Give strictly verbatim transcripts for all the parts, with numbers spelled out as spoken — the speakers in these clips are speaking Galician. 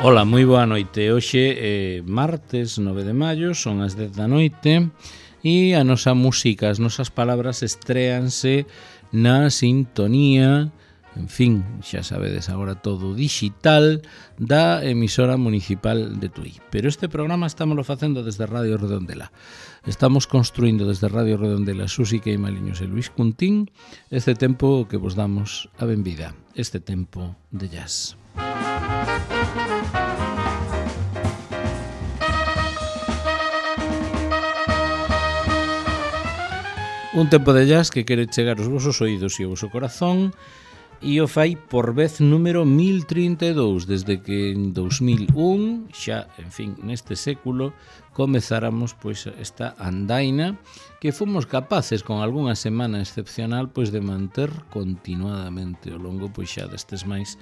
Ola, moi boa noite. Hoxe é martes nove de maio, son as dez da noite e a nosa música, as nosas palabras estréanse na sintonía, en fin, xa sabedes agora todo digital, da emisora municipal de Tui. Pero este programa estámoslo facendo desde Radio Redondela. Estamos construindo desde Radio Redondela Susi Queimaliños e Luis Cuntín este tempo que vos damos a benvida, este tempo de jazz. Un tempo de jazz que quere chegar aos vosos oídos e ao voso corazón e o fai por vez número mil trinta e dous, desde que en dous mil un, xa, en fin, neste século, comezáramos pois esta andaina que fomos capaces, con algunha semana excepcional, pois de manter continuadamente ao longo pois xa destes máis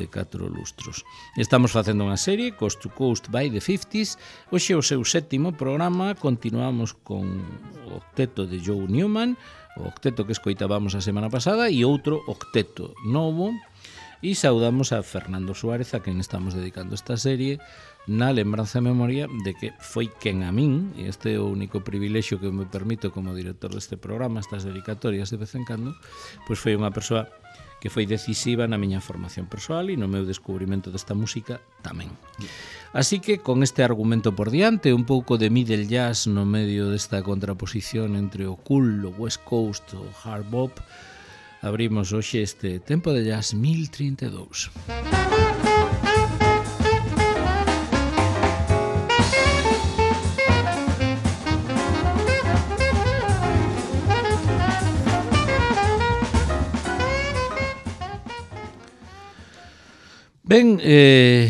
de catro lustros. Estamos facendo unha serie, Coast to Coast by the fifties, hoxe o seu sétimo programa, continuamos con o octeto de Joe Newman, o octeto que escoitábamos a semana pasada e outro octeto novo, e saudamos a Fernando Suárez, a quen estamos dedicando esta serie, na lembranza e memoria de que foi quen a min, e este é o único privilexio que me permito como director deste programa, estas dedicatorias de vez en cando, pois foi unha persoa que foi decisiva na miña formación persoal e no meu descubrimento desta música tamén. Así que, con este argumento por diante, un pouco de middle jazz no medio desta contraposición entre o cool, o West Coast, o hard bop, abrimos hoxe este tempo de jazz mil trinta e dous. Ben, eh,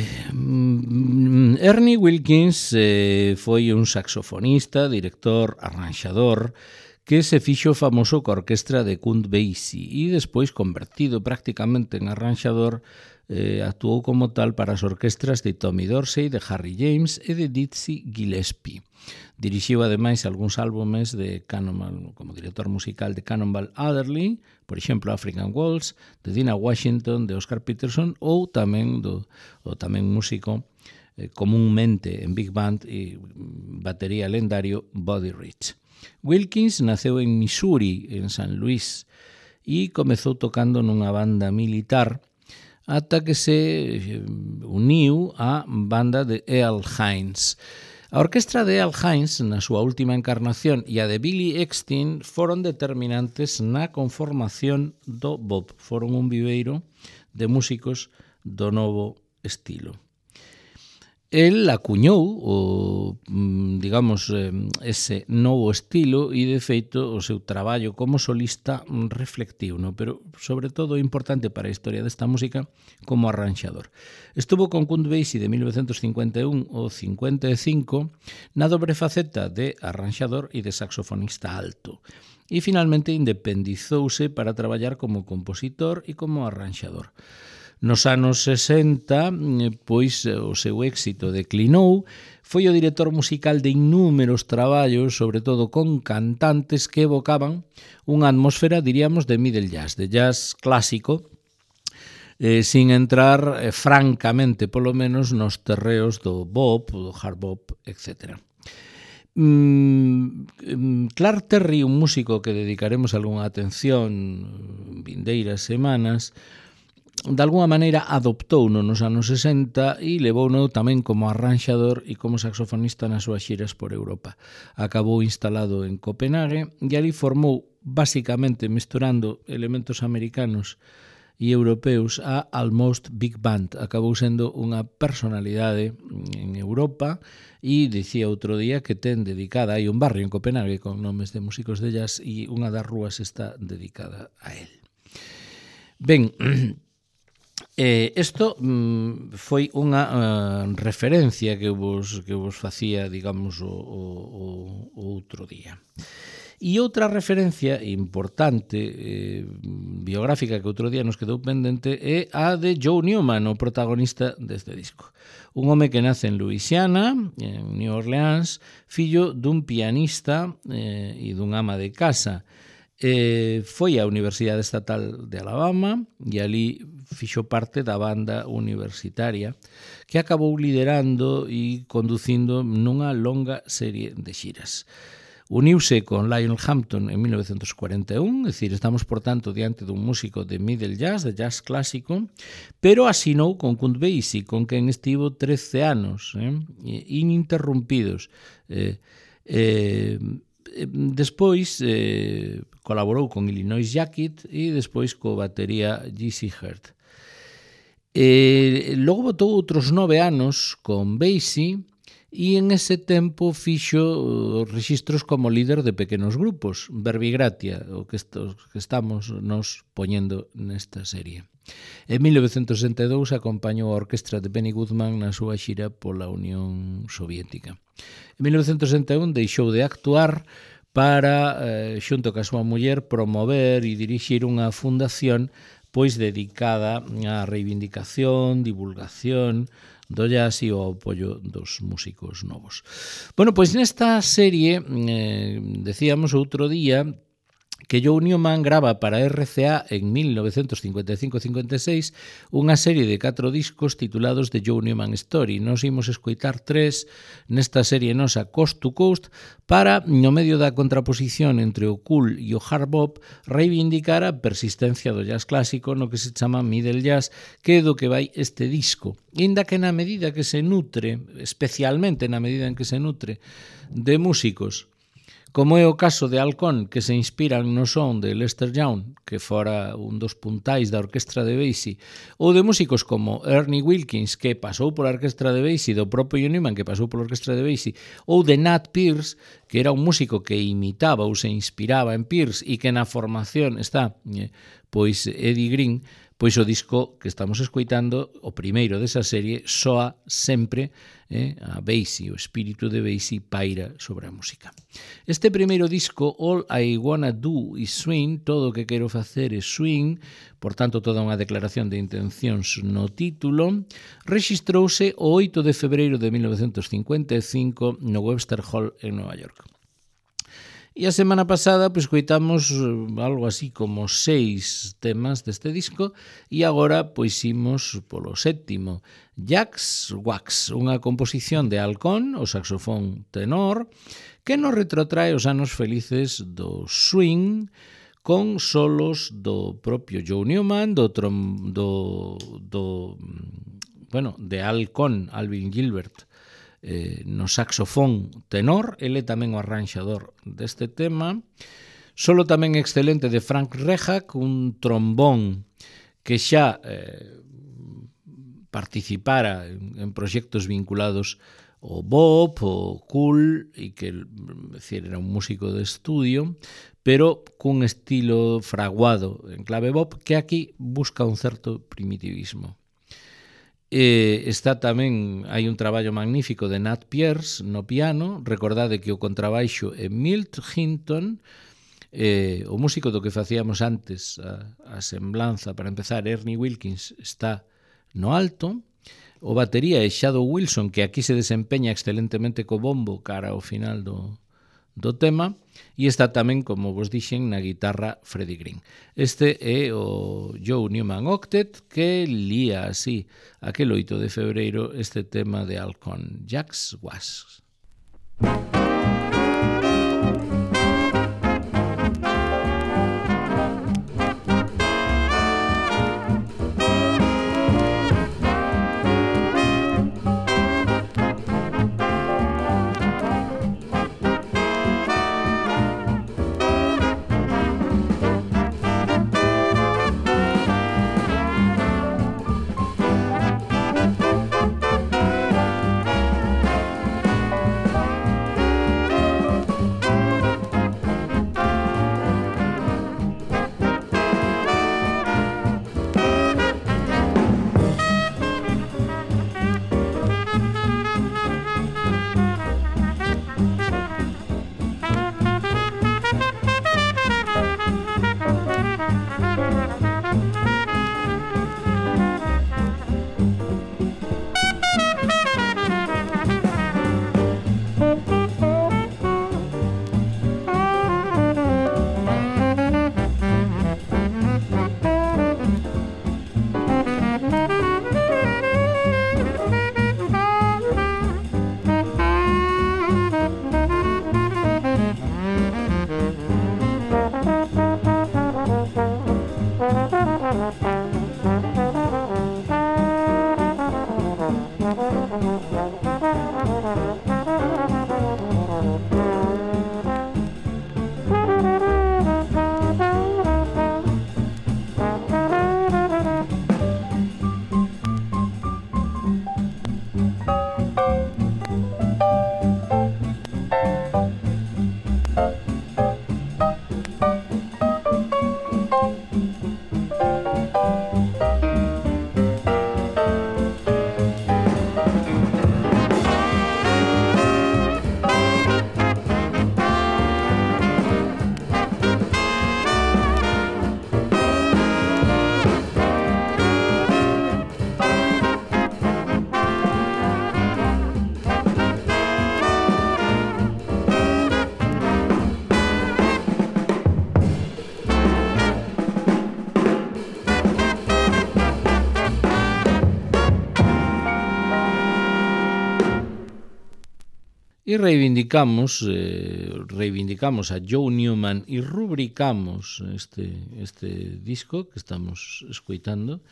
Ernie Wilkins eh, foi un saxofonista, director, arranxador, que se fixo famoso coa orquestra de Count Basie e despois, convertido prácticamente en arranxador, eh, actuou como tal para as orquestras de Tommy Dorsey, de Harry James e de Dizzy Gillespie. Dirixiu ademais algúns álbumes de Cannonball, como director musical de Cannonball Adderley, por exemplo African Waltz, de Dinah Washington, de Oscar Peterson, ou tamén do o tamén músico eh, comúnmente en big band e batería lendario Buddy Rich. Wilkins naceu en Missouri, en San Luis, e comezou tocando nunha banda militar ata que se uniu á banda de Earl Hines. A orquestra de Earl Hines, na súa última encarnación, e a de Billy Eckstine foron determinantes na conformación do bop. Foron un viveiro de músicos do novo estilo. El acuñou o, digamos, ese novo estilo e, de feito, o seu traballo como solista reflectiu, no? Pero, sobre todo, importante para a historia desta música como arranxador. Estuvo con Count Basie de mil novecentos cincuenta e un ao cincuenta e cinco na dobre faceta de arranxador e de saxofonista alto. E, finalmente, independizouse para traballar como compositor e como arranxador. Nos anos sesenta, pois, o seu éxito declinou, foi o director musical de innúmeros traballos, sobre todo con cantantes que evocaban unha atmosfera, diríamos, de middle jazz, de jazz clásico, eh, sin entrar eh, francamente, polo menos, nos terreos do bop, do hard bop, etcétera. Mm, Clark Terry, un músico que dedicaremos algunha atención vindeiras semanas, de alguma maneira adoptouno nos anos sesenta e levouno tamén como arranxador e como saxofonista nas súas xiras por Europa. Acabou instalado en Copenhague e ali formou, basicamente mesturando elementos americanos e europeos, a Almost Big Band. Acabou sendo unha personalidade en Europa e dicía outro día que ten dedicada, hai un barrio en Copenhague con nomes de músicos de jazz e unha das rúas está dedicada a él. Ben, Eh, isto mm, foi unha uh, referencia que vos, que vos facía, digamos, o, o, o outro día. E outra referencia importante, eh, biográfica, que outro día nos quedou pendente, é a de Joe Newman, o protagonista deste disco. Un home que nace en Louisiana, en New Orleans, fillo dun pianista eh, e dun ama de casa. Eh, foi á Universidade Estatal de Alabama e ali fixo parte da banda universitaria que acabou liderando e conducindo nunha longa serie de xiras. Uniuse con Lionel Hampton en mil novecientos cuarenta e un, é dicir, estamos, por tanto, diante dun músico de middle jazz, de jazz clásico, pero asinou con Count Basie, con quen estivo trece anos, eh, ininterrumpidos. Eh, eh, despois eh, colaborou con Illinois Jacket e despois co batería G C Hurt. Eh, logo botou outros nove anos con Basie, e en ese tempo fixo rexistros como líder de pequenos grupos, Verbigratia, o que, estos, que estamos nos poñendo nesta serie. En mil novecientos sesenta e dous acompañou a orquestra de Benny Goodman na súa xira pola Unión Soviética. En mil novecientos sesenta e un deixou de actuar para, eh, xunto ca súa muller, promover e dirixir unha fundación pois dedicada á reivindicación, divulgación do jazz e o apoio dos músicos novos. Bueno, pois nesta serie, eh, decíamos outro día, que Joe Newman grava para R C A en mil novecientos cincuenta e cinco cincuenta e seis unha serie de catro discos titulados The Joe Newman Story. Nos imos escoitar tres nesta serie nosa Coast to Coast para, no medio da contraposición entre o cool e o hard bop, reivindicar a persistencia do jazz clásico no que se chama middle jazz, que é do que vai este disco. Inda que na medida que se nutre, especialmente na medida en que se nutre de músicos como é o caso de Halcón, que se inspiran no son de Lester Young, que fora un dos puntais da orquestra de Basie, ou de músicos como Ernie Wilkins, que pasou pola orquestra de Basie, do propio Newman, que pasou pola orquestra de Basie, ou de Nat Pierce, que era un músico que imitaba ou se inspiraba en Pierce e que na formación está pois Eddie Green, pois o disco que estamos escoitando, o primeiro desa serie, soa sempre eh, a Basie, o espírito de Basie paira sobre a música. Este primeiro disco, All I Wanna Do Is Swing, todo o que quero facer é swing, por tanto toda unha declaración de intencións no título, rexistrouse o oito de febreiro de mil novecientos cincuenta e cinco no Webster Hall en Nova York. E a semana pasada pois coitamos algo así como seis temas deste disco e agora pois imos polo sétimo, Jacks Wax, unha composición de Halcón, o saxofón tenor, que nos retrotrae os anos felices do swing con solos do propio Joe Newman, do, trom, do, do bueno, de Halcón, Alvin Gilbert, Eh, no saxofón tenor, ele tamén o arranxador deste tema, solo tamén excelente de Frank Rehak, un trombón que xa eh, participara en, en proxectos vinculados ao bop, ao cool, e que decir, era un músico de estudio, pero cun estilo fraguado en clave bop que aquí busca un certo primitivismo. Eh, está tamén, hai un traballo magnífico de Nat Pierce no piano, recordade que o contrabaixo é Milt Hinton, eh, o músico do que facíamos antes, a, a semblanza, para empezar, Ernie Wilkins está no alto, o batería é Shadow Wilson, que aquí se desempeña excelentemente co bombo cara ao final do, do tema, e está tamén, como vos dixen, na guitarra Freddie Green. Este é o Joe Newman Octet, que lía así aquel oito de febreiro este tema de Halcón, Jacks Wax. e reivindicamos eh, reivindicamos a Joe Newman e rubricamos este, este disco que estamos escoitando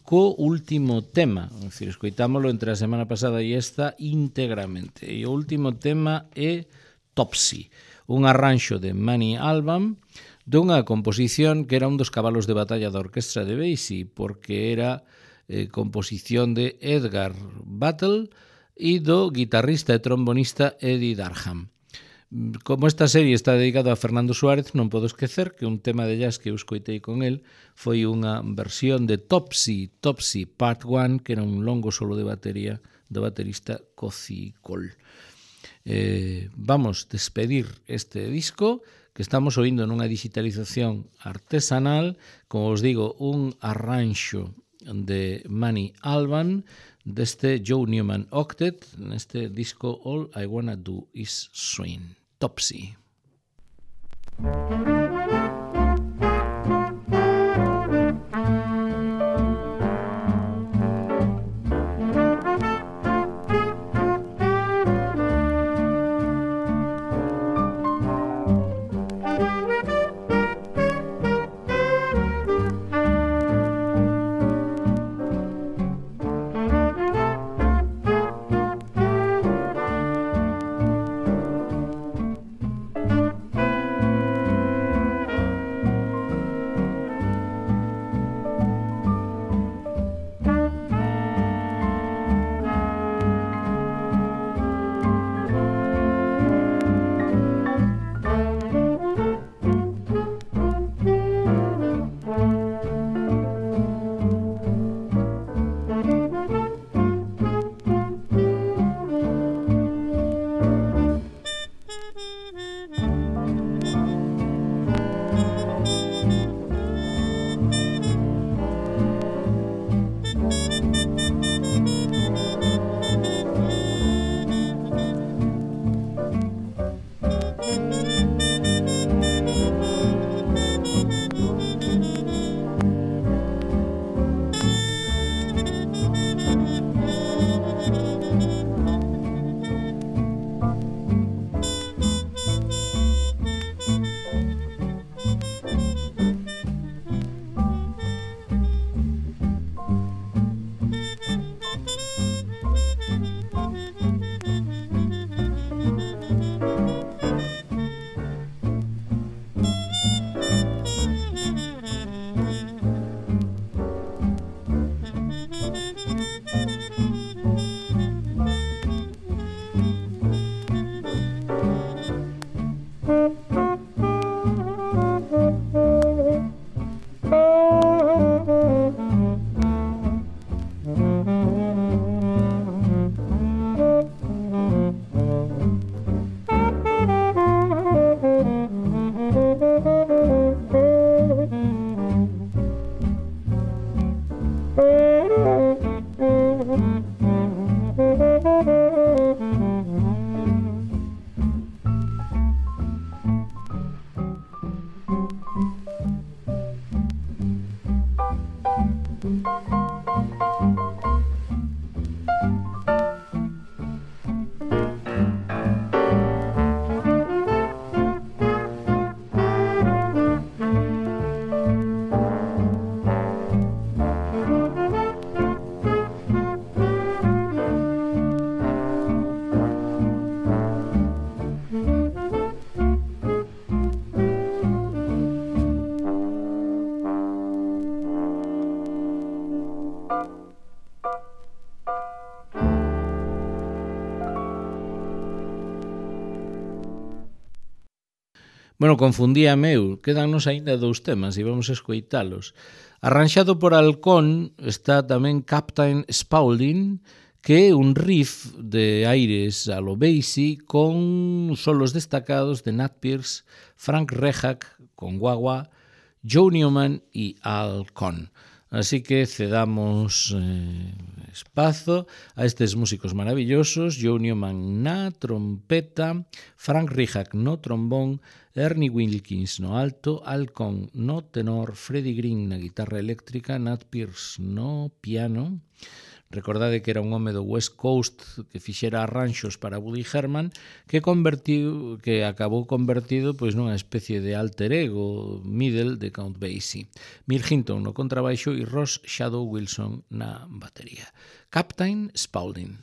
co último tema, é dicir, escoitámoslo entre a semana pasada e esta íntegramente, e o último tema é Topsy, un arranxo de Manny Alban dunha composición que era un dos cabalos de batalla da orquestra de Basie, porque era eh, composición de Edgar Battle e do guitarrista e trombonista Eddie Darham. Como esta serie está dedicada a Fernando Suárez, non podo esquecer que un tema de jazz que eu escoitei con el foi unha versión de Topsy, Topsy Part one, que era un longo solo de batería do baterista Cozy Cole. Eh, vamos despedir este disco que estamos oindo nunha digitalización artesanal, como os digo, un arranxo de Manny Alban deste Joe Newman Octet neste disco All I Wanna Do Is Swing. Topsy. Bueno, confundíame eu, quedannos aínda dous temas e vamos a escoitalos. Arranxado por Halcón está tamén Captain Spaulding, que é un riff de aires a lo Basie con solos destacados de Nat Pierce, Frank Rehak con guagua, Joe Newman e Halcón. Así que cedamos eh, espazo a estes músicos maravillosos, Joe Newman na trompeta, Frank Rehak no trombón, Ernie Wilkins no alto, Halcón no tenor, Freddie Green na guitarra eléctrica, Nat Pierce no piano, Recordade que era un home do West Coast que fixera arranxos para Woody Herman que convertiu, que acabou convertido pois nunha especie de alter ego middle de Count Basie. Mill Hinton no contrabaixo e Ross Shadow Wilson na batería. Captain Spaulding.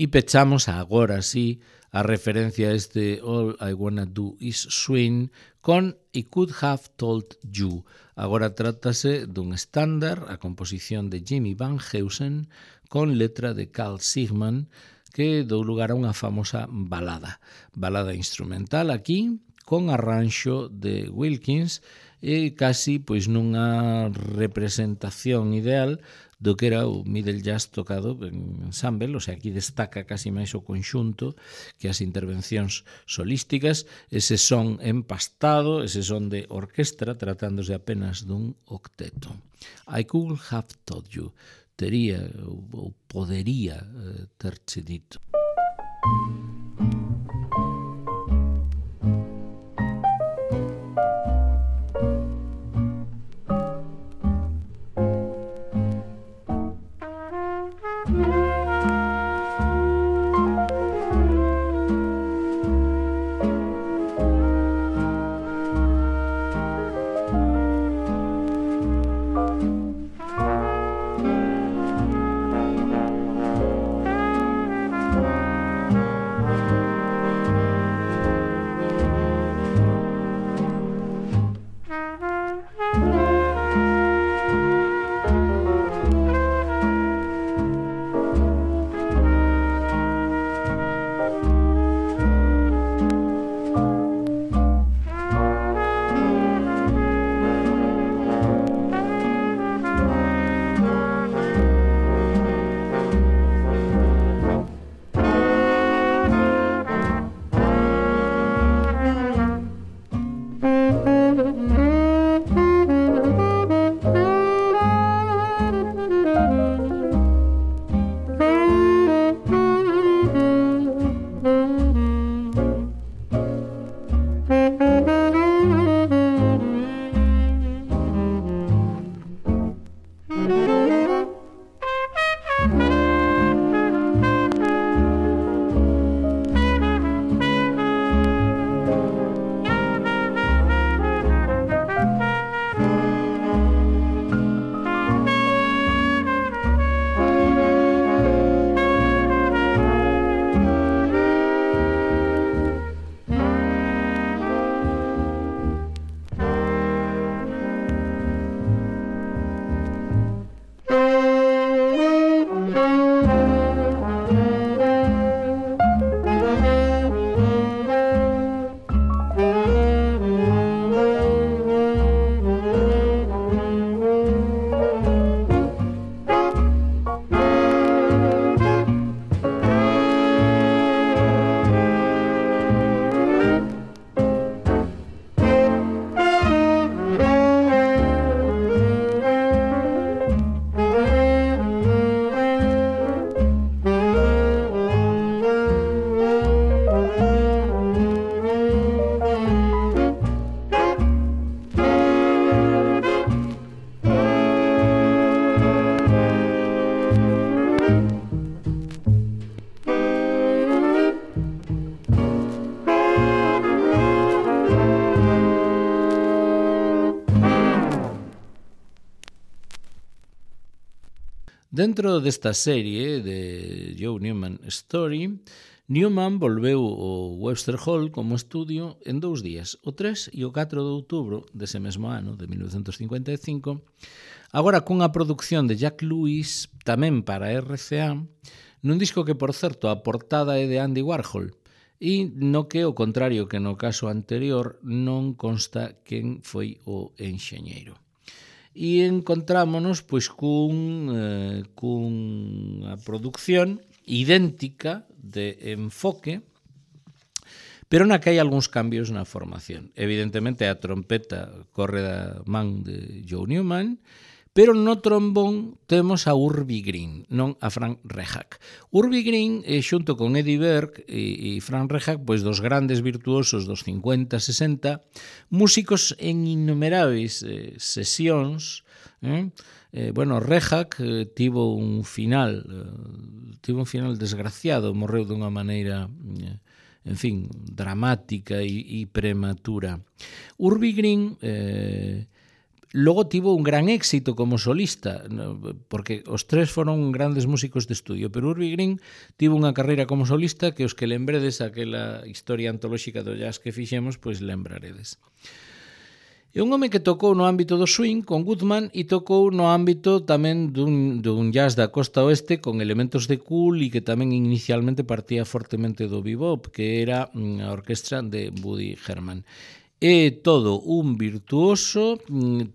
E pechamos agora sí a referencia a este All I Wanna Do Is Swing con I Could Have Told You. Agora trátase dun estándar, a composición de Jimmy Van Heusen con letra de Carl Sigman que dou lugar a unha famosa balada. Balada instrumental aquí con arranxo de Wilkins e casi pois nunha representación ideal do que era o middle jazz tocado en ensemble, o sea, aquí destaca casi máis o conxunto que as intervencións solísticas, ese son empastado, ese son de orquestra, tratándose apenas dun octeto. I could have told you, tería ou podería terche dito. Dentro desta serie de Joe Newman Story, Newman volveu ao Webster Hall como estudio en dous días, o tres e o catro de outubro dese mesmo ano, de mil novecentos cincuenta e cinco, agora cunha produción de Jack Lewis, tamén para R C A, nun disco que, por certo, a portada é de Andy Warhol, e no que, ao contrario que no caso anterior, non consta quen foi o enxeñeiro. E encontrámonos pois cun, eh, cunha producción idéntica de enfoque, pero na que hai algúns cambios na formación. Evidentemente a trompeta corre da man de Joe Newman, pero no trombón temos a Urbie Green, non a Frank Rehak. Urbie Green, eh, xunto con Eddie Berg e, e Frank Rehak, pois dos grandes virtuosos dos cincuenta sesenta, músicos en innumerables eh, sesións. Eh? Eh, bueno, Rehak eh, tivo un final, eh, tivo un final desgraciado, morreu dunha maneira, eh, en fin, dramática e, e prematura. Urbie Green eh, logo tivo un gran éxito como solista, porque os tres foron grandes músicos de estudio, pero Urbie Green tivo unha carreira como solista que os que lembredes aquela historia antolóxica do jazz que fixemos, pois lembraredes. É un home que tocou no ámbito do swing con Goodman e tocou no ámbito tamén dun, dun jazz da costa oeste con elementos de cool e que tamén inicialmente partía fortemente do bebop, que era a orquestra de Woody Herman. É todo un virtuoso,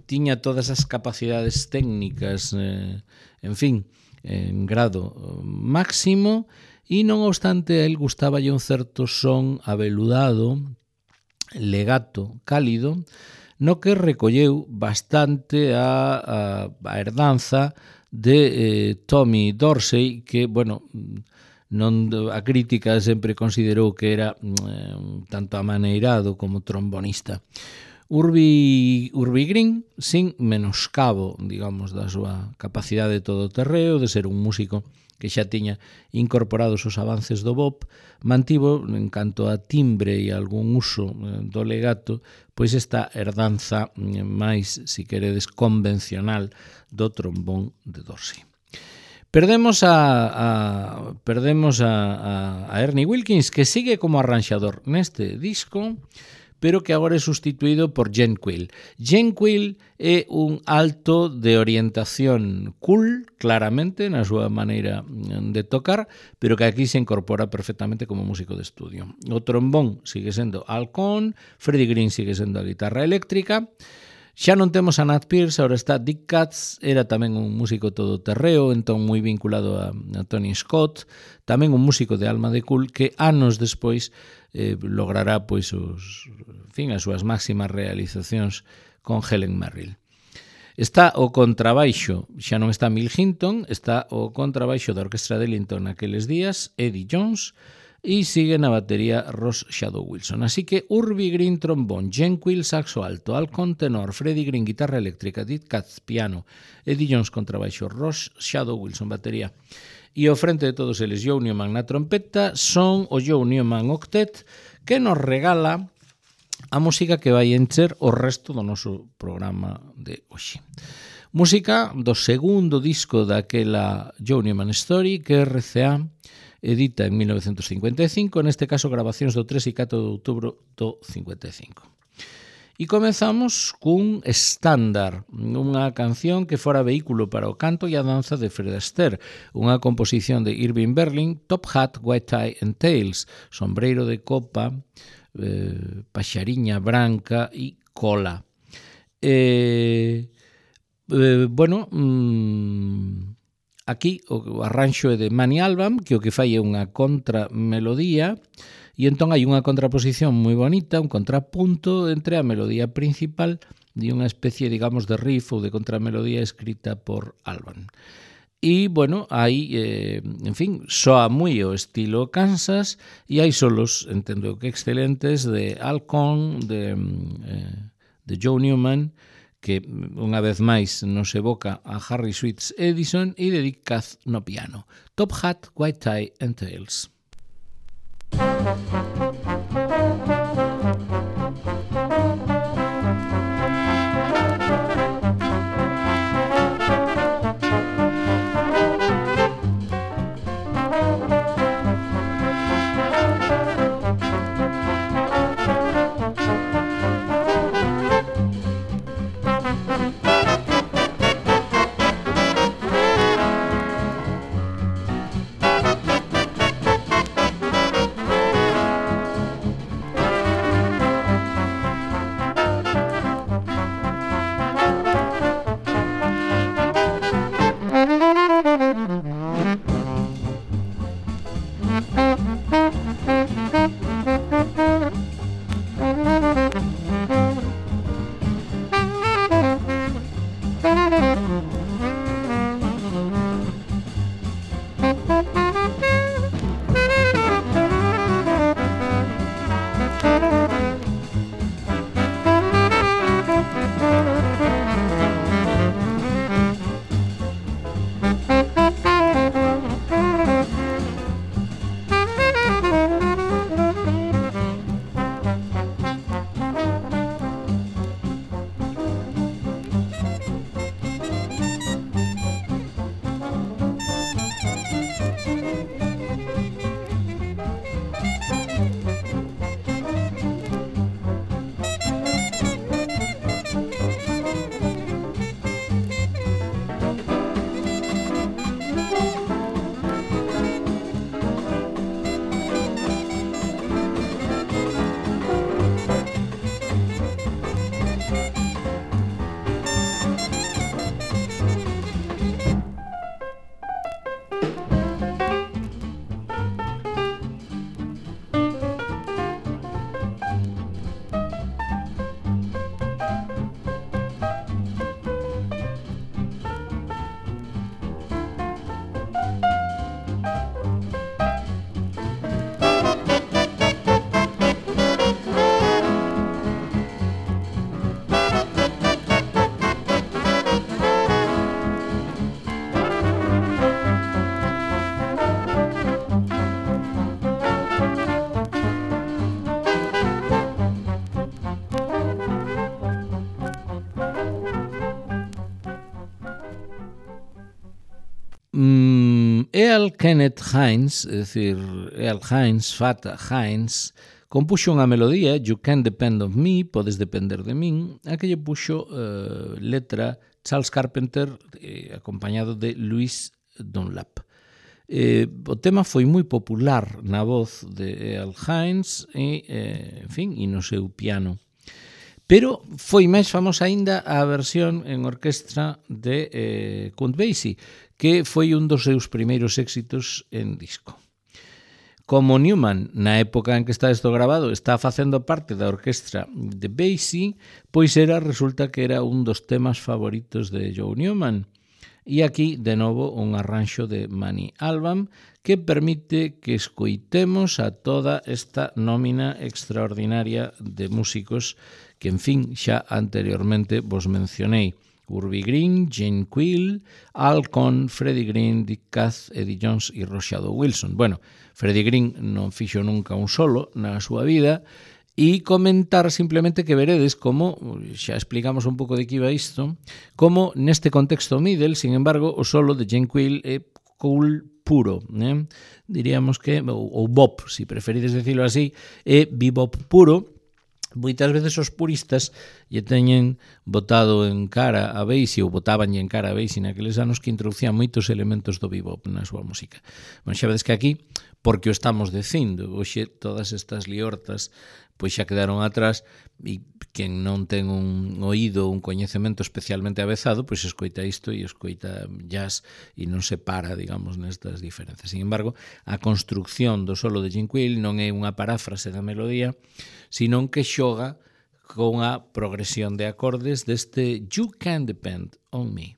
tiña todas as capacidades técnicas, eh, en fin, en grado máximo, e non obstante a él gustáballe un certo son aveludado, legato, cálido, no que recolleu bastante a, a, a herdanza de eh, Tommy Dorsey, que, bueno, non a crítica sempre considerou que era eh, un tanto amaneirado como trombonista. Urbie, Urbie Green, sin menoscabo, digamos, da súa capacidade todoterreo, de ser un músico que xa tiña incorporados os avances do bop, mantivo, en canto a timbre e algún uso do legato, pois esta herdanza máis, si queredes, convencional do trombón de Dorsey. Perdemos a, a perdemos a, a, a Ernie Wilkins, que sigue como arranxador neste disco, pero que agora é sustituído por Jen Quill. Jen Quill é un alto de orientación cool, claramente, na súa maneira de tocar, pero que aquí se incorpora perfectamente como músico de estudio. O trombón sigue sendo Al Cohn, Freddie Green sigue sendo a guitarra eléctrica. Xa non temos a Nat Pierce, agora está Dick Katz, era tamén un músico todoterreo, entón moi vinculado a, a Tony Scott, tamén un músico de alma de cool que anos despois eh, logrará pois os, en fin, as súas máximas realizacións con Helen Merrill. Está o contrabaixo, xa non está Mill Hinton, está o contrabaixo da Orquestra de Ellington naqueles días, Eddie Jones, e sigue na batería Ross Shadow Wilson. Así que Urbi Green trombón, Jen Quill saxo alto, Alcon tenor, Freddie Green guitarra eléctrica, Dit Katz piano, Eddie Jones contrabaixo, Ross Shadow Wilson batería. E ao frente de todos eles, Joe Newman na trompeta, son o Joe Newman Octet, que nos regala a música que vai encher o resto do noso programa de hoxe. Música do segundo disco daquela Joe Newman Story que R C A edita en mil novecentos cincuenta e cinco, neste caso grabacións do tres e catro de outubro do cincuenta e cinco. E comezamos cun estándar, unha canción que fora vehículo para o canto e a danza de Fred Astaire, unha composición de Irving Berlin, Top Hat, White Tie and Tails, sombreiro de copa, eh, paxariña branca e cola. Eh, eh, bueno, mmm, aquí o arranxo é de Manny Alban, que o que fai é unha contramelodía, e entón hai unha contraposición moi bonita, un contrapunto entre a melodía principal e unha especie, digamos, de riff ou de contramelodía escrita por Alban. E, bueno, hai, eh, en fin, soa moi o estilo Kansas e hai solos, entendo que excelentes, de Alcon, de, eh, de Joe Newman, que unha vez máis nos evoca a Harry Sweets Edison e de Dick Katz no piano. Top Hat, White Tie and Tails. Mm, Earl Kenneth Hines, é dicir, Earl Hines, Fata Hines, compuxo unha melodía, You Can Depend on Me, Podes Depender de Min, a que lle puxo uh, letra Charles Carpenter, eh, acompañado de Louis Dunlap. Eh, o tema foi moi popular na voz de Earl Hines e, eh, en fin, e no seu piano. Pero foi máis famosa aínda a versión en orquestra de eh, Count Basie, que foi un dos seus primeiros éxitos en disco. Como Newman, na época en que está isto grabado, está facendo parte da orquestra de Basie, pois era, resulta que era un dos temas favoritos de Joe Newman. E aquí, de novo, un arranxo de Mani Alban que permite que escoitemos a toda esta nómina extraordinaria de músicos que, en fin, xa anteriormente vos mencionei. Urbie Green, Jane Quill, Al Cohn, Freddie Green, Dick Cass, Eddie Jones e Rochado Wilson. Bueno, Freddie Green non fixo nunca un solo na súa vida, e comentar simplemente que veredes como, xa explicamos un pouco de que iba isto, como neste contexto middle, sin embargo, o solo de Jane Quill é cool puro, eh? diríamos que, ou, ou bop, se si preferides decirlo así, é bebop puro. Moitas veces os puristas lle teñen botado en cara a Basie ou botaban en cara a Basie naqueles anos que introducían moitos elementos do bebop na súa música. Bueno, xa vedes que aquí, porque o estamos dicindo, hoxe todas estas liortas pois xa quedaron atrás e quen non ten un oído, un coñecemento especialmente avezado, pois escoita isto e escoita jazz e non se para, digamos, nestas diferencias. Sin embargo, a construcción do solo de Jane Quill non é unha paráfrase da melodía, sino que xoga con a progresión de acordes deste You Can Depend on Me.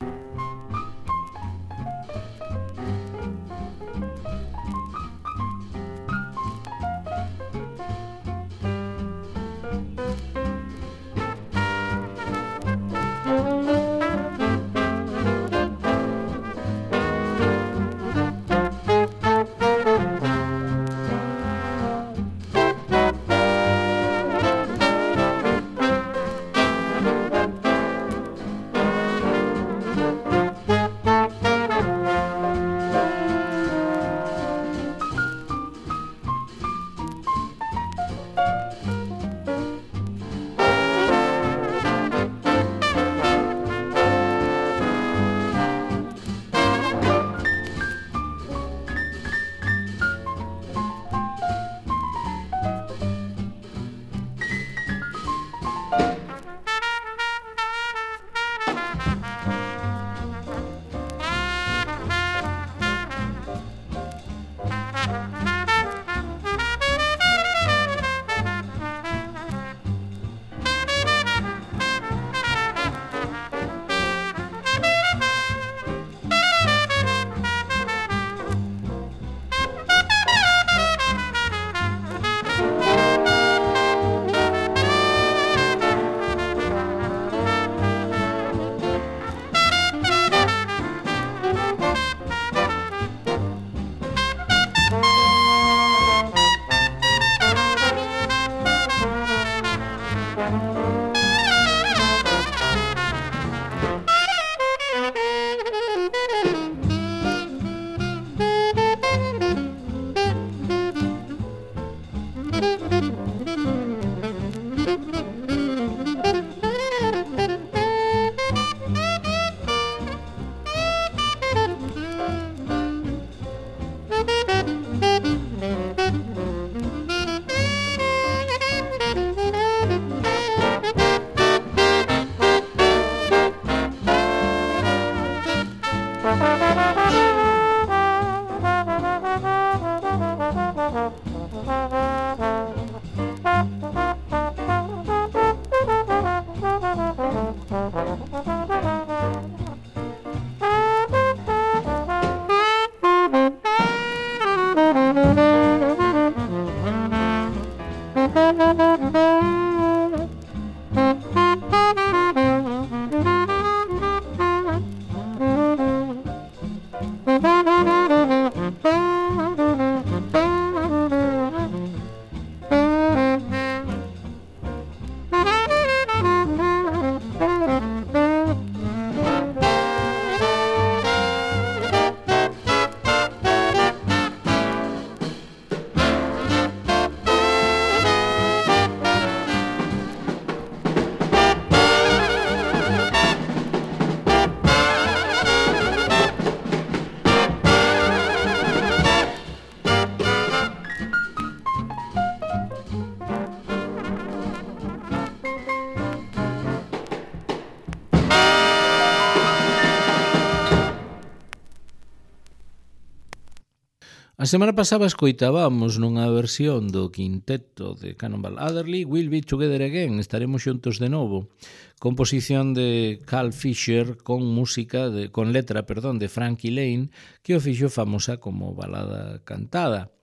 A semana pasada escoitábamos nunha versión do quinteto de Cannonball Adderley We'll Be Together Again, estaremos xuntos de novo, composición de Carl Fisher con música de, con letra, perdón, de Frankie Lane, que o fixo famosa como balada cantada.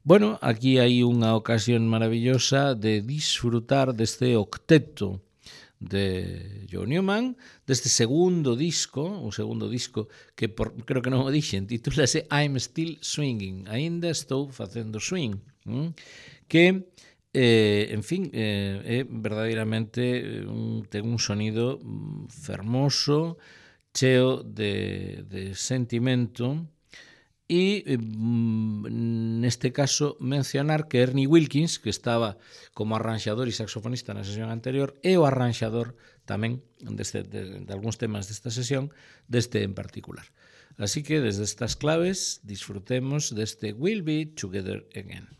Bueno, aquí hai unha ocasión maravillosa de disfrutar deste octeto de John Newman, deste segundo disco, o segundo disco que por, creo que non o dixen, titúlase I'm Still Swinging, aínda estou facendo swing, ¿m? que, eh, en fin, eh, é verdadeiramente un, ten un sonido fermoso, cheo de, de sentimento. E neste caso mencionar que Ernie Wilkins, que estaba como arranxador e saxofonista na sesión anterior, é o arranxador tamén deste, de, de algúns temas desta sesión, deste en particular. Así que desde estas claves disfrutemos deste We'll Be Together Again.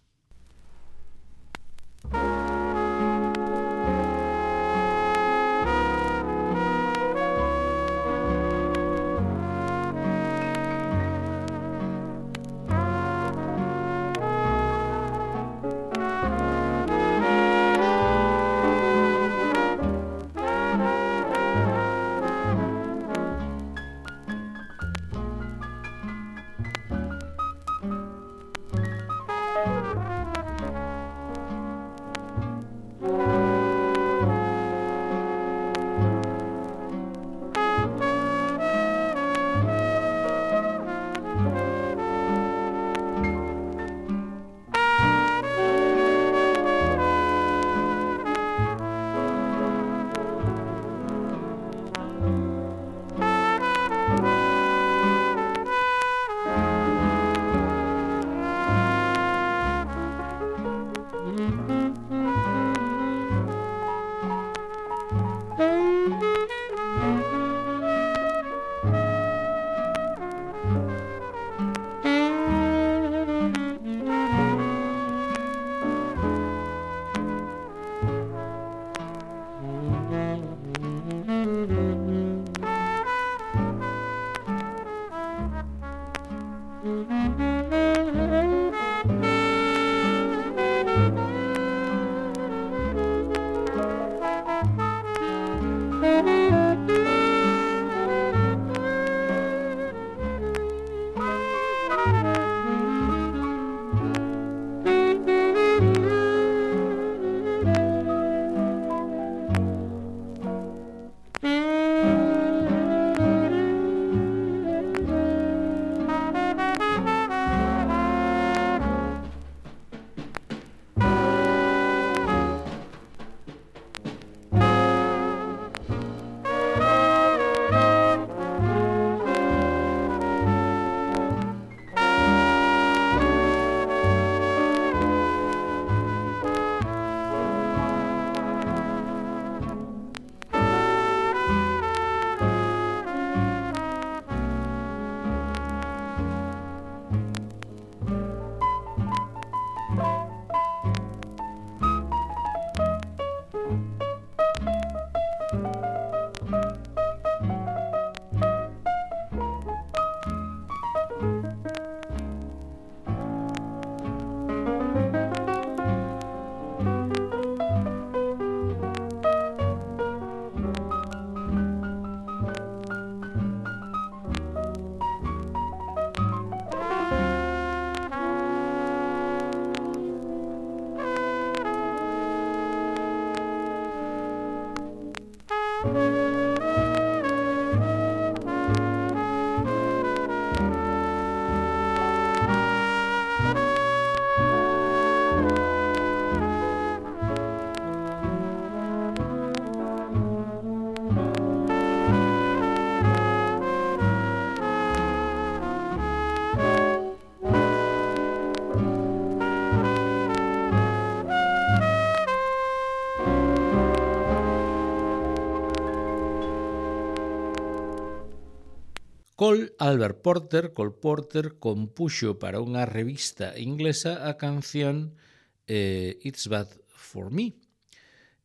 Cole Albert Porter, Cole Porter, compuxo para unha revista inglesa a canción eh, It's Bad For Me.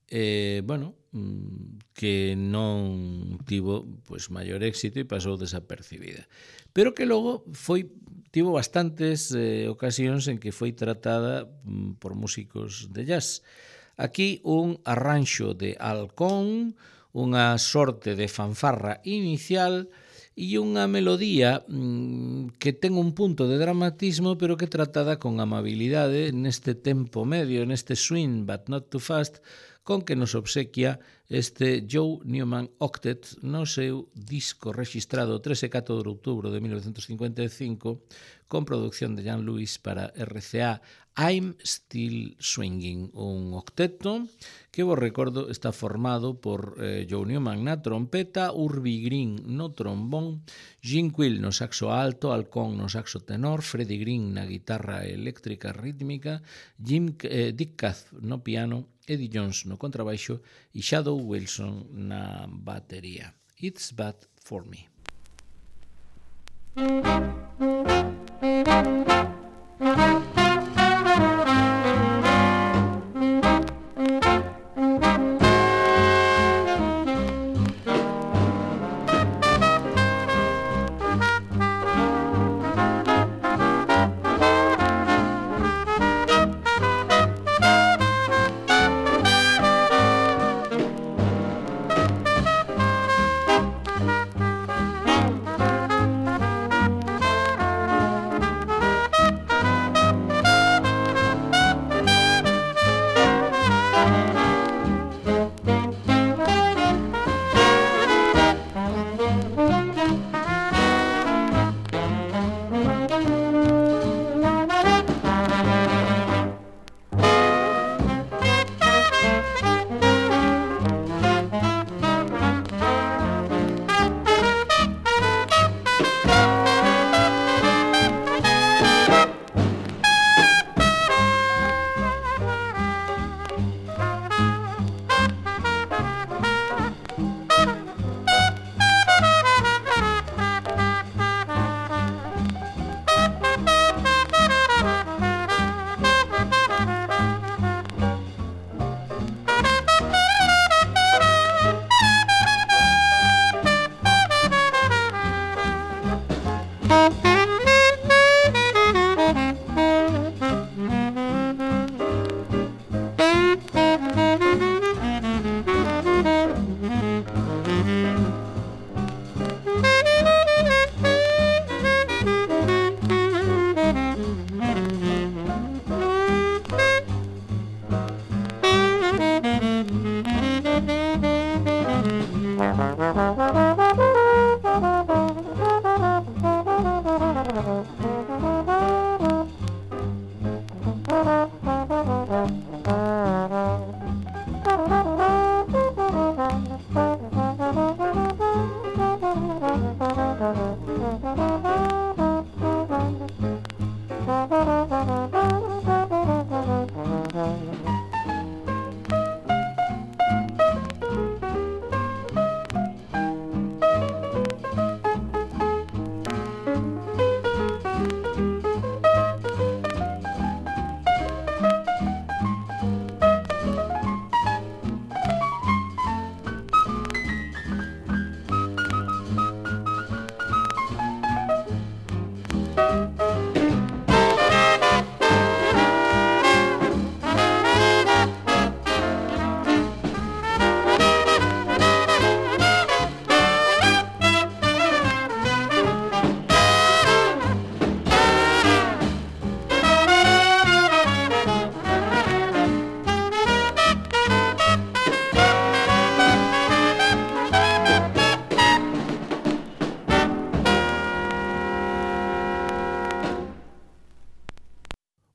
Eh, bueno, que non tivo pois, maior éxito e pasou desapercibida. Pero que logo foi tivo bastantes eh, ocasións en que foi tratada mm, por músicos de jazz. Aquí un arranxo de halcón, unha sorte de fanfarra inicial e unha melodía mmm, que ten un punto de dramatismo pero que tratada con amabilidade neste tempo medio, neste swing but not too fast, con que nos obsequia este Joe Newman Octet no seu disco rexistrado tres e catro de outubro de mil novecentos cincuenta e cinco con producción de Jan Lewis para R C A, I'm Still Swinging, un octeto que vos recordo está formado por eh, Joe Newman na trompeta, Urbie Green no trombón, Jim Quill no saxo alto, Halcón no saxo tenor, Freddie Green na guitarra eléctrica rítmica, Jim eh, Dick Kath no piano, Eddie Jones no contrabaixo e Shadow Wilson na batería. It's Bad For Me.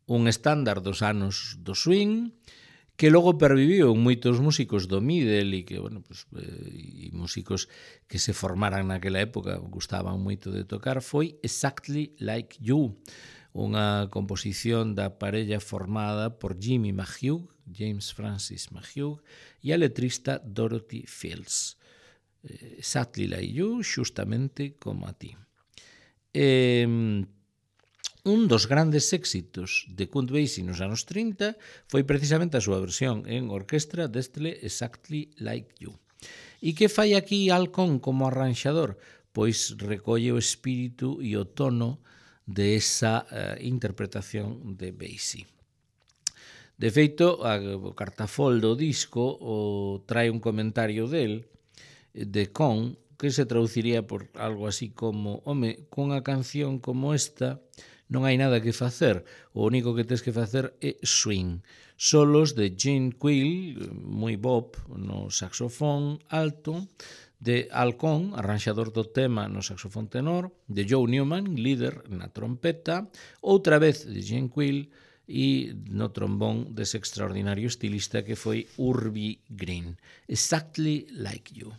Un estándar dos anos do swing que logo perviviu en moitos músicos do middle e que, bueno, pues, eh, e músicos que se formaran naquela época gustaban moito de tocar, foi Exactly Like You, unha composición da parella formada por Jimmy McHugh, James Francis McHugh, e a letrista Dorothy Fields. Eh, Exactly Like You, xustamente como a ti. Eh, Un dos grandes éxitos de Count Basie nos anos trinta foi precisamente a súa versión en orquestra deste Exactly Like You. E que fai aquí Halcón como arranxador? Pois recolle o espírito e o tono de esa uh, interpretación de Basie. De feito, o cartafol do disco o trae un comentario del, de Con, que se traduciría por algo así como: home, cunha canción como esta non hai nada que facer, o único que tens que facer é swing. Solos de Gene Quill, moi bop, no saxofón alto, de Al Cohn, arranxador do tema no saxofón tenor, de Joe Newman, líder na trompeta, outra vez de Gene Quill, e no trombón dese extraordinario estilista que foi Urbie Green. Exactly Like You.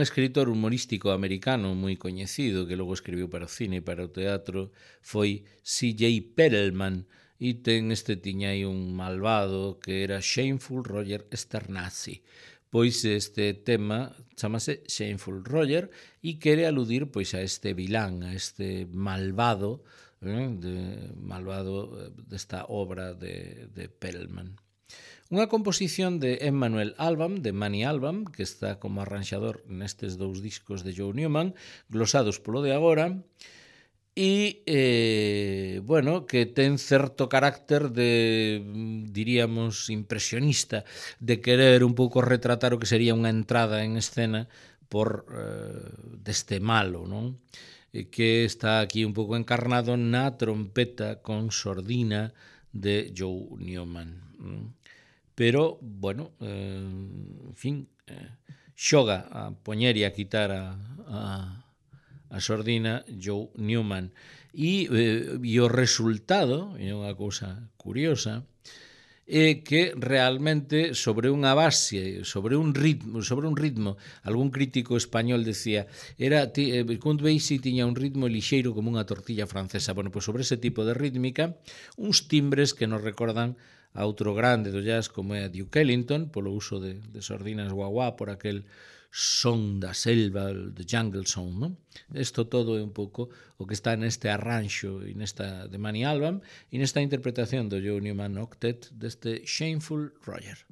Escritor humorístico americano moi coñecido que logo escribiu para o cine e para o teatro foi C J Perelman, e ten este tiña aí un malvado que era Shameful Roger Sternassi. Pois este tema chamase Shameful Roger e quere aludir pois a este vilán, a este malvado, eh, de, malvado desta obra de, de Perelman. Unha composición de Emmanuel Alban, de Manny Alban, que está como arranxador nestes dous discos de Joe Newman, glosados polo de agora, e, eh, bueno, que ten certo carácter de, diríamos, impresionista, de querer un pouco retratar o que sería unha entrada en escena por eh, deste malo, non? E que está aquí un pouco encarnado na trompeta con sordina de Joe Newman, non? Pero, bueno, eh, en fin, eh, xoga a poñer e a quitar a, a, a sordina Joe Newman. E, eh, e o resultado, é unha cousa curiosa, é que realmente sobre unha base, sobre un ritmo, sobre un ritmo, algún crítico español decía, era eh, Count Basie tiña un ritmo lixeiro como unha tortilla francesa. Bueno, pois sobre ese tipo de rítmica, uns timbres que nos recordan a outro grande do jazz como é a Duke Ellington, polo uso de, de sordinas guaguá, por aquel son da selva, the jungle song, non? Isto todo é un pouco o que está neste arranxo e nesta de Manny Alban e nesta interpretación do Joe Newman Octet deste Shameful Roger.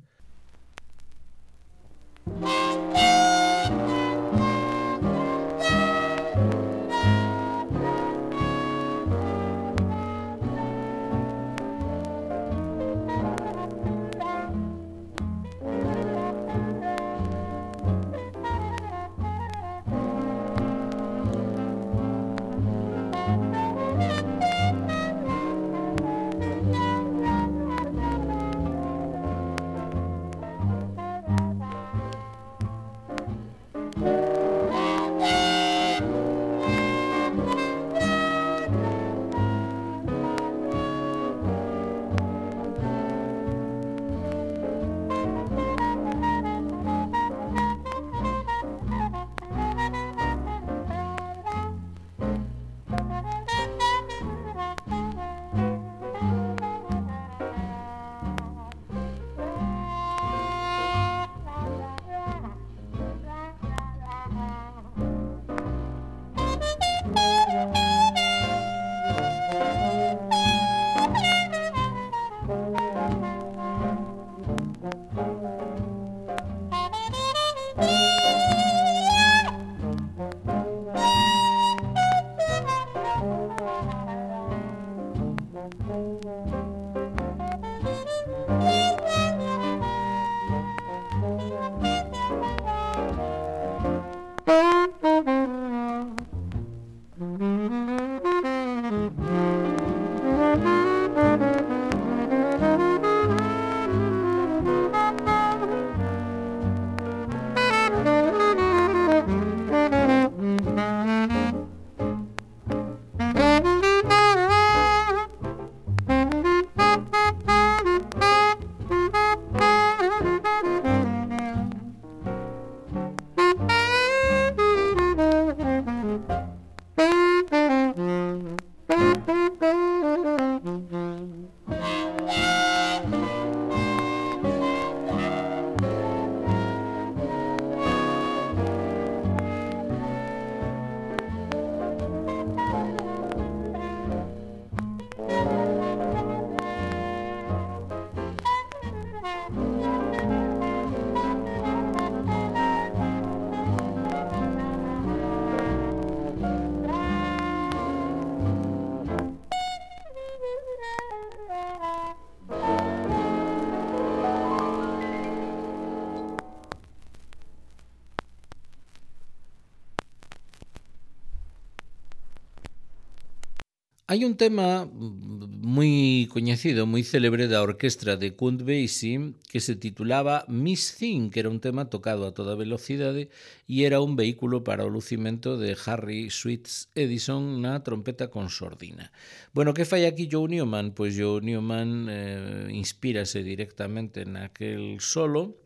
Hai un tema moi coñecido, moi célebre da orquestra de Count Basie que se titulaba Miss Thing, que era un tema tocado a toda velocidade e era un vehículo para o lucimento de Harry Sweets Edison na trompeta con sordina. Bueno, que fai aquí Joe Newman? Pois Joe Newman eh, inspírase directamente naquel solo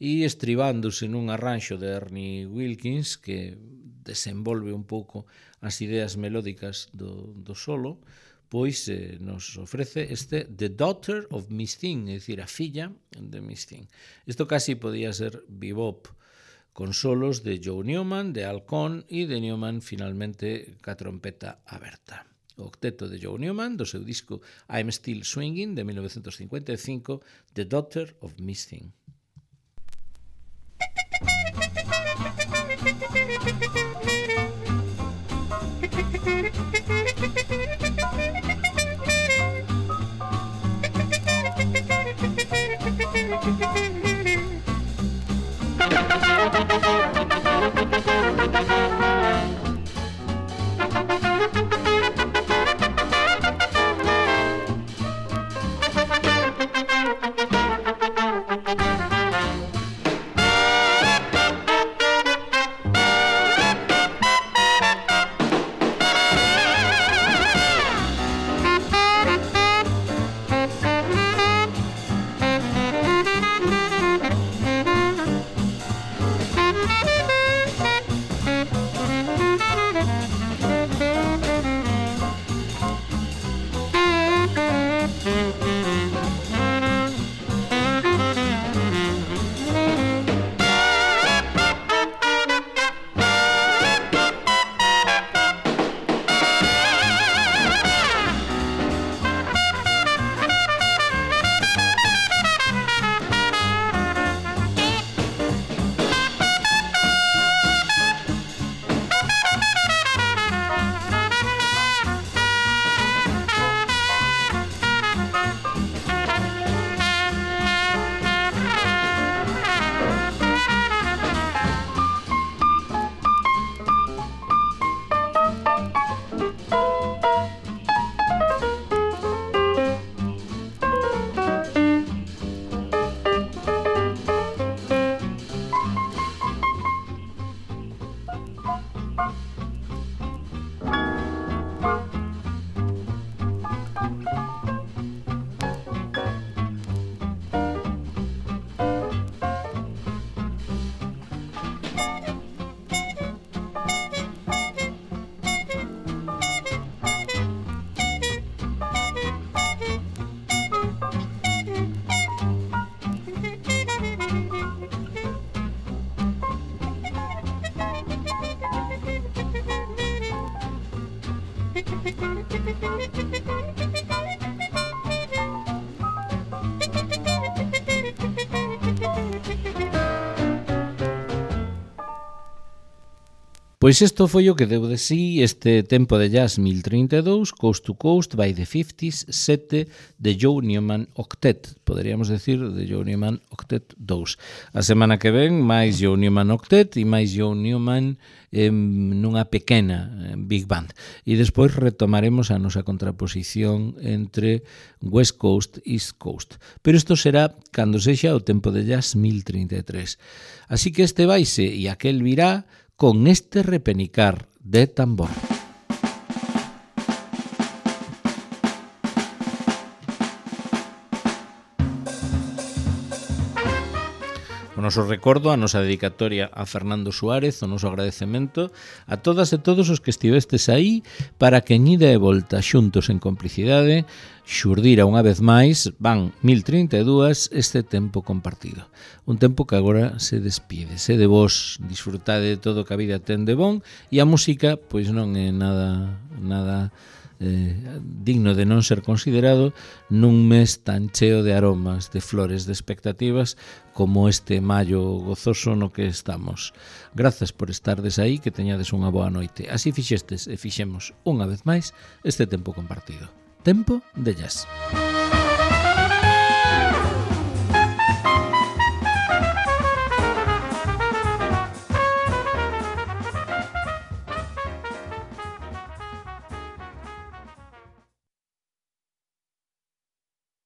e estribándose nun arranxo de Ernie Wilkins que desenvolve un pouco as ideas melódicas do, do solo, pois eh, nos ofrece este The Daughter of Miss Thing, é dicir, a filla de Miss Thing. Isto casi podía ser bebop, con solos de Joe Newman, de Al Cohn e de Newman finalmente ca trompeta aberta. O octeto de Joe Newman, do seu disco I'm Still Swinging, de mil novecentos cincuenta e cinco, The Daughter of Miss Thing. Pois isto foi o que deu de sí este tempo de jazz mil trinta e dous, Coast to Coast by the fifties, sete de Joe Newman Octet, poderíamos decir de Joe Newman Octet dous. A semana que ven, máis Joe Newman Octet e máis Joe Newman eh, nunha pequena eh, Big Band. E despois retomaremos a nosa contraposición entre West Coast e East Coast. Pero isto será cando sexa o tempo de jazz mil trinta e tres. Así que este vaise e aquel virá con este repenicar de tambor. O noso recordo, a nosa dedicatoria a Fernando Suárez, o noso agradecemento a todas e todos os que estivestes aí para que en ida e volta xuntos en complicidade xurdira unha vez máis, van mil trinta e dous, este tempo compartido. Un tempo que agora se despide. Se de vos disfrutade de todo que a vida ten de bon e a música pois non é nada nada eh, digno de non ser considerado nun mes tan cheo de aromas, de flores, de expectativas como este maio gozoso no que estamos. Grazas por estardes aí, que teñades unha boa noite. Así fixestes e fixemos unha vez máis este tempo compartido. Tempo de jazz.